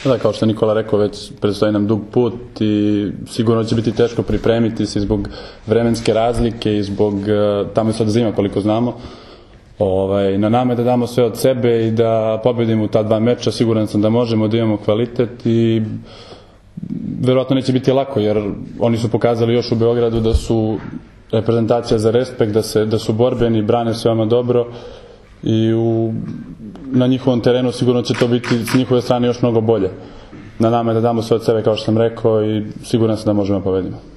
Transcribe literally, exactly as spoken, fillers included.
Da, kao što je Nikola rekao, već predstoji nam dug put i sigurno će biti teško pripremiti se zbog vremenske razlike i zbog, tamo je sad zima koliko znamo. Ovaj, na nama je da damo sve od sebe i da pobedimo ta dva meča, siguran sam da možemo, da imamo kvalitet i verovatno neće biti lako jer oni su pokazali još u Beogradu da su reprezentacija za respekt, da, se, da su borbeni, brane se veoma dobro i u, na njihovom terenu sigurno će to biti s njihove strane još mnogo bolje. Na nama je da damo sve od sebe kao što sam rekao i siguran sam da možemo pobedimo.